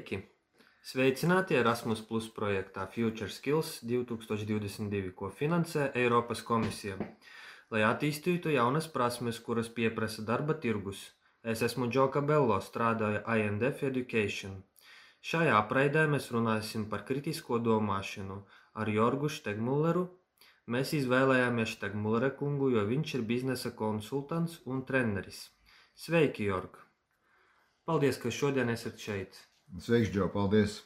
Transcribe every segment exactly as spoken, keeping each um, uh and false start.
Sveiki! Sveicināti Erasmus Plus projektā Future Skills divi tūkstoši divdesmit divi, ko finansē Eiropas komisija, lai attīstītu jaunas prasmes, kuras pieprasa darba tirgus. Es esmu Džo Cabello, strādāju I and F Education. Šajā apraidē mēs runāsim par kritisko domāšanu ar Jorgu Štegmulleru. Mēs izvēlējāmies Štegmullera kungu, jo viņš ir biznesa konsultants un treneris. Sveiki, Jorg! Paldies, ka šodien esat šeit. Sveiks, Džo, paldies!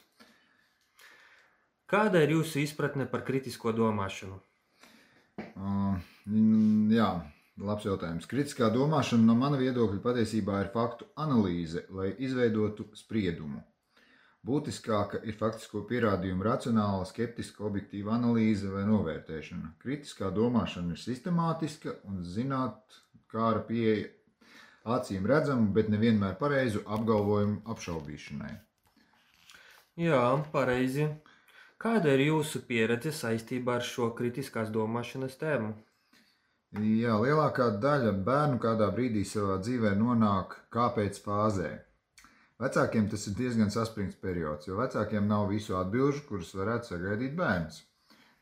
Kāda ir jūsu izpratne par kritisko domāšanu? Uh, jā, labs jautājums. Kritiskā domāšana no mana viedokļa patiesībā ir faktu analīze, lai izveidotu spriedumu. Būtiskāka ir faktisko pierādījumu racionāla, skeptiska, objektīva analīze vai novērtēšana. Kritiskā domāšana ir sistemātiska un zinātnāra pieeja acīm redzamu, bet nevienmēr pareizu apgalvojumu apšaubīšanai. Jā, pareizi. Kāda ir jūsu pieredze saistībā ar šo kritiskās domāšanas tēmu? Jā, lielākā daļa bērnu kādā brīdī savā dzīvē nonāk kāpēc fāzē. Vecākiem tas ir diezgan saspringts periods, jo vecākiem nav visu atbilžu, kuras varētu sagaidīt bērns.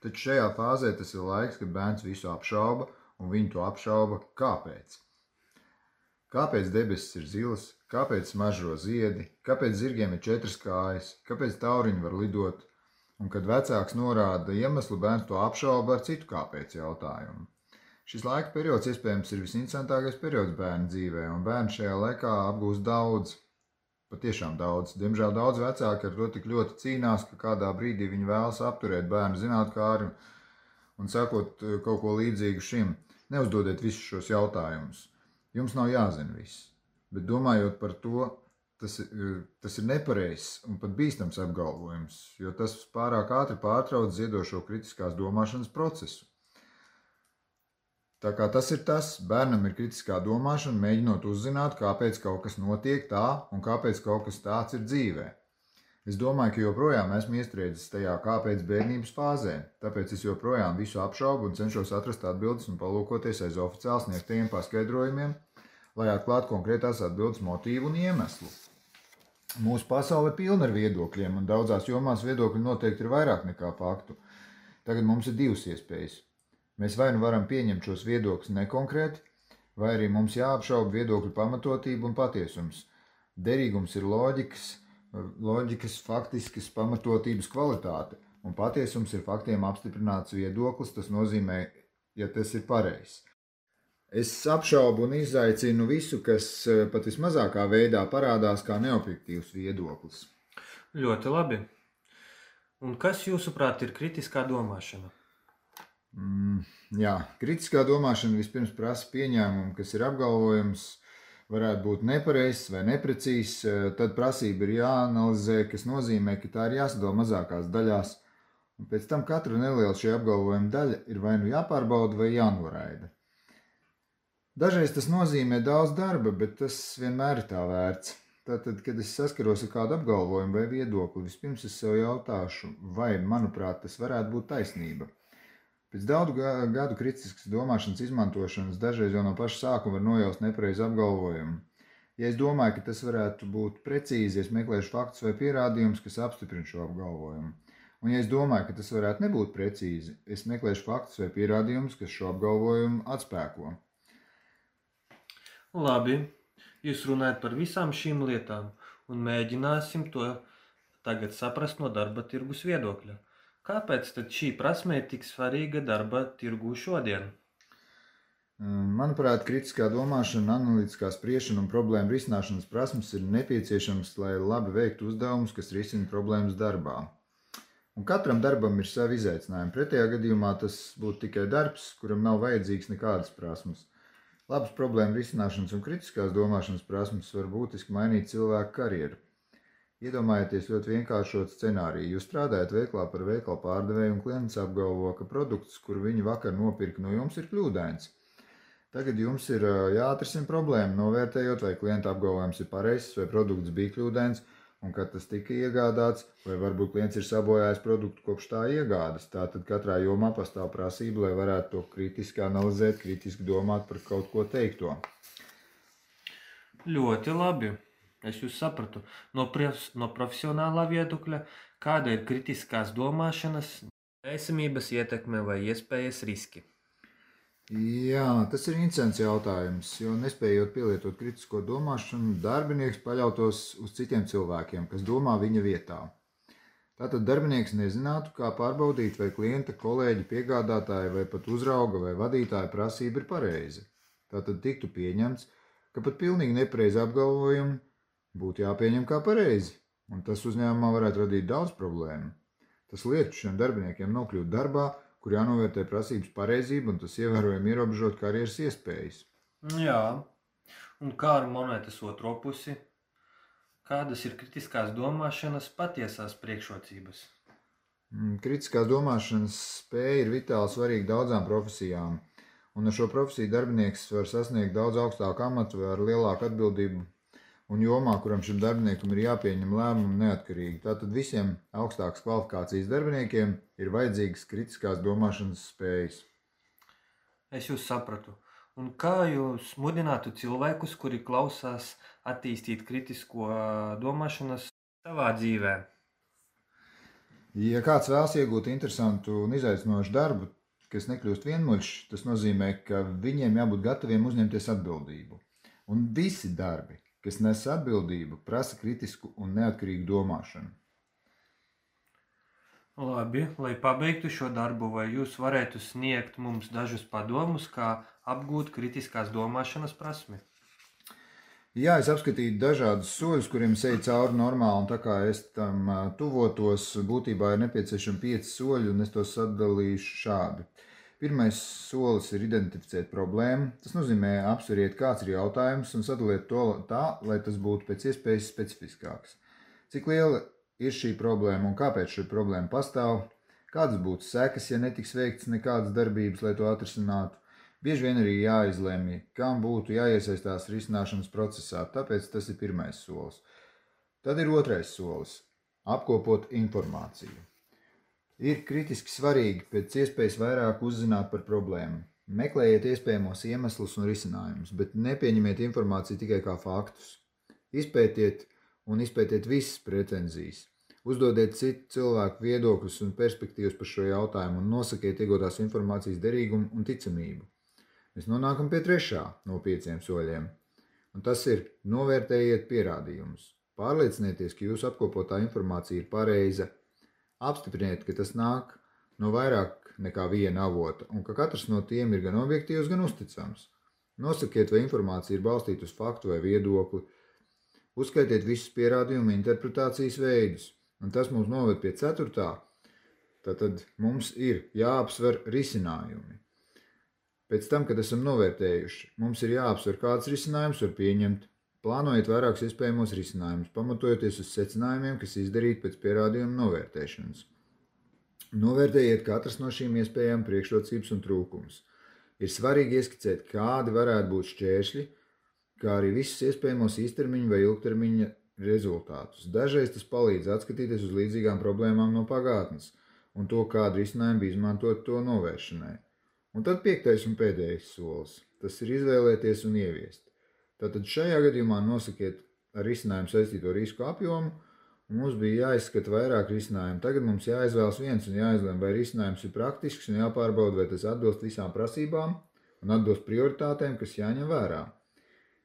Taču šajā fāzē tas ir laiks, kad bērns visu apšauba, un viņi to apšauba kāpēc. Kāpēc debesis ir zilas, kāpēc smaržo ziedi, kāpēc zirgiem ir četras kājas, kāpēc tauriņi var lidot, un kad vecāks norāda iemeslu, bērns to apšauba ar citu kāpēc jautājumu. Šis laika periods iespējams ir visinteresantākais periods bērnu dzīvē, un bērns šajā laikā apgūst daudz, patiešām daudz. Diemžēl daudz vecāki ar to tik ļoti cīnās, ka kādā brīdī viņi vēlas apturēt bērnu zinātkāri un sakot kaut ko līdzīgu šim. Neuzdodiet visus šos jautājumus. Jums nav jāzina viss, bet domājot par to, tas, tas ir nepareizs un pat bīstams apgalvojums, jo tas pārāk ātri pārtrauc ziedošo kritiskās domāšanas procesu. Tā kā tas ir tas, bērnam ir kritiskā domāšana, mēģinot uzzināt, kāpēc kaut kas notiek tā un kāpēc kaut kas tāds ir dzīvē. Es domāju, ka joprojām esmu iestrēdzis tajā kāpēc bērnības fāzē, tāpēc es joprojām visu apšaubu un cenšos atrast atbildes un palūkoties aiz oficiāli sniegtajiem paskaidrojumiem, lai atklātu konkrētās atbildes motīvu un iemeslu. Mūsu pasaule ir pilna ar viedokļiem, un daudzās jomās viedokļi noteikti ir vairāk nekā faktu. Tagad mums ir divas iespējas. Mēs vai nu varam pieņemt šos viedokļus nekonkrēti, vai arī mums jāapšauba viedokļu pamatotība un patiesums. Derīgums ir loģikas, loģikas faktiskas pamatotības kvalitāte, un patiesums ir faktiem apstiprināts viedoklis, tas nozīmē, ja tas ir pareizs. Es apšaubu un izaicinu visu, kas pat vismazākā veidā parādās kā neobjektīvs viedoklis. Ļoti labi. Un kas jūsuprāt ir kritiskā domāšana? Mm, jā, kritiskā domāšana vispirms prasa pieņēmumu, kas ir apgalvojums, varētu būt nepareizs vai neprecīzs, tad prasība ir jāanalizē, kas nozīmē, ka tā ir jāsadala mazākās daļās, un pēc tam katra neliela šī apgalvojuma daļa ir vai nu jāpārbauda vai jānoraida. Dažreiz tas nozīmē daudz darba, bet tas vienmēr ir tā vērts. Tātad, kad es saskaros ar kādu apgalvojumu vai viedokli, vispirms es sev jautāšu, vai, manuprāt, tas varētu būt taisnība. Pēc daudzu gadu kritiskas domāšanas izmantošanas dažreiz jau no paša sākuma var nojaust nepareizu apgalvojumu. Ja es domāju, ka tas varētu būt precīzi, es meklēšu faktus vai pierādījumus, kas apstiprina šo apgalvojumu. Un ja es domāju, ka tas varētu nebūt precīzi, es meklēšu faktus vai pierādījumus, kas šo apgalvojumu atspēko. Labi, jūs runājat par visām šīm lietām un mēģināsim to tagad saprast no darba tirgus viedokļa. Kāpēc tad šī prasme ir tik svarīga darba tirgū šodien? Manuprāt, kritiskā domāšana, analītiskā spriešana un problēma risināšanas prasmes ir nepieciešamas, lai labi veiktu uzdevumus, kas risina problēmas darbā. Un katram darbam ir savi izaicinājumi. Pretējā gadījumā tas būtu tikai darbs, kuram nav vajadzīgs nekādas prasmes. Labas problēma risināšanas un kritiskās domāšanas prasmes var būtiski mainīt cilvēku karjeru. Iedomājieties ļoti vienkāršot scenāriju. Jūs strādājat veiklā par veikalu pārdevēju un klients apgalvo, ka produkts, kuru viņi vakar nopirka no jums, ir kļūdains. Tagad jums ir jāatrisina problēma, novērtējot, vai klienta apgalvojums ir pareizs, vai produkts bija kļūdains, un kad tas tika iegādāts, vai varbūt klients ir sabojājis produktu kopš tā iegādas. Tātad katrā jomā pastāv prasība, lai varētu to kritiski analizēt, kritiski domāt par kaut ko teikto. Ļoti labi. Es jūs sapratu. No, profes, no profesionālā viedokļa, kāda ir kritiskās domāšanas, esamības ietekme vai iespējas riski? Jā, tas ir interesants jautājums, jo nespējot pielietot kritisko domāšanu, darbinieks paļautos uz citiem cilvēkiem, kas domā viņa vietā. Tātad darbinieks nezinātu, kā pārbaudīt, vai klienta, kolēģi, piegādātāja vai pat uzrauga vai vadītāja prasība ir pareiza. Tātad tiktu pieņemts, ka pat pilnīgi nepareizi apgalvojumi būtu jāpieņem kā pareizi, un tas uzņēmumā varētu radīt daudz problēmu. Tas liektu šiem darbiniekiem nokļūt darbā, kur jānovērtē prasības pareizība, un tas ievērojami ierobežot karjeras iespējas. Jā, un kā ar monētas otro pusi? Kādas ir kritiskās domāšanas patiesās priekšrocības? Kritiskās domāšanas spēja ir vitāli svarīga daudzām profesijām, un ar šo profesiju darbinieks var sasniegt daudz augstāku amatu vai ar lielāku atbildību un jomā, kuram šim darbiniekam ir jāpieņem lēmumu neatkarīgi. Tātad visiem augstākas kvalifikācijas darbiniekiem ir vajadzīgas kritiskās domāšanas spējas. Es jūs sapratu. Un kā jūs mudinātu cilvēkus, kuri klausās, attīstīt kritisko domāšanas savā dzīvē? Ja kāds vēlas iegūt interesantu un izaicinošu darbu, kas nekļūst vienmuļš, tas nozīmē, ka viņiem jābūt gataviem uzņemties atbildību. Un visi darbi, kas nes atbildību, prasa kritisku un neatkarīgu domāšanu. Labi, lai pabeigtu šo darbu, vai jūs varētu sniegt mums dažus padomus, kā apgūt kritiskās domāšanas prasmi? Jā, es apskatīju dažādus soļus, kuriem eju cauri normāli, un tā kā es tam tuvotos, būtībā ir nepieciešami pieci soļi, un es tos sadalīšu šādi. Pirmais solis ir identificēt problēmu. Tas nozīmē apsveriet, kāds ir jautājums, un sadaliet to tā, lai tas būtu pēc iespējas specifiskāks. Cik liela ir šī problēma un kāpēc šī problēma pastāv? Kādas būtu sekas, ja netiks veikts nekādas darbības, lai to atrisinātu? Bieži vien arī jāizlemj, kam būtu jāiesaistās risināšanas procesā, tāpēc tas ir pirmais solis. Tad ir otrais solis – apkopot informāciju. Ir kritiski svarīgi pēc iespējas vairāk uzzināt par problēmu. Meklējiet iespējamos iemeslus un risinājumus, bet nepieņemiet informāciju tikai kā faktus. Izpētiet un izpētiet visas pretenzijas. Uzdodiet citu cilvēku viedokļus un perspektīvas par šo jautājumu un nosakiet iegūtās informācijas derīgumu un ticamību. Mēs nonākam pie trešā no pieciem soļiem, un tas ir novērtējiet pierādījumus. Pārliecinieties, ka jūsu apkopotā informācija ir pareiza. Apstipriniet, ka tas nāk no vairāk nekā viena avota un ka katrs no tiem ir gan objektīvs, gan uzticams. Nosakiet, vai informācija ir balstīta uz faktu vai viedokli. Uzskaitiet visus pierādījumu interpretācijas veidus, un tas mums noved pie ceturtā. Tātad mums ir jāapsver risinājumi. Pēc tam, kad esam novērtējuši, mums ir jāapsver, kāds risinājums var pieņemt. Plānojiet vairākus iespējamos risinājumus, pamatojoties uz secinājumiem, kas izdarīti pēc pierādījuma novērtēšanas. Novērtējiet katras no šīm iespējām priekšrocības un trūkumus. Ir svarīgi ieskicēt, kādi varētu būt šķēršļi, kā arī visus iespējamos īstermiņa vai ilgtermiņa rezultātus. Dažreiz tas palīdz atskatīties uz līdzīgām problēmām no pagātnes un to, kādu risinājumu bija izmantot to novēršanai. Un tad piektais un pēdējais solis. Tas ir izvēlēties un ieviest. Tātad šajā gadījumā nosakiet ar risinājumu saistīto risku apjomu, un mums bija jāizskata vairāk risinājumu. Tagad mums jāizvēlas viens un jāizlem, vai risinājums ir praktisks un jāpārbauda, vai tas atbilst visām prasībām un atbilst prioritātēm, kas jāņem vērā.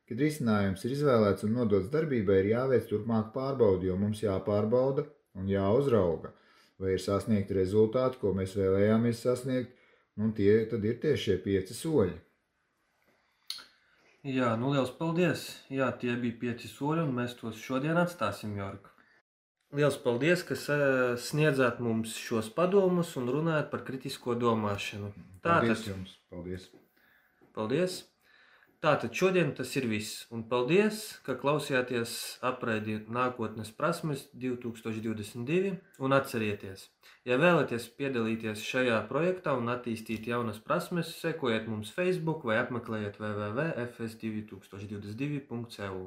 Kad risinājums ir izvēlēts un nodots darbībai, ir jāveic turpmāk pārbaudi, jo mums jāpārbauda un jāuzrauga, vai ir sasniegti rezultāti, ko mēs vēlējāmies sasniegt, un tie tad ir tieši šie pieci soļi. Jā, nu liels paldies. Jā, tie bija pieci soļi, un mēs tos šodien atstāsim, Jorg. Liels paldies, ka sniedzāt mums šos padomus un runājat par kritisko domāšanu. Paldies jums. Paldies. Paldies. Tātad šodien tas ir viss. Un paldies, ka klausījāties apraidi nākotnes prasmes divi tūkstoši divdesmit divi. Un atcerieties, ja vēlaties piedalīties šajā projektā un attīstīt jaunas prasmes, sekojiet mums Facebook vai apmeklējiet w w w punkt f s divi tūkstoši divdesmit divi punkt c u.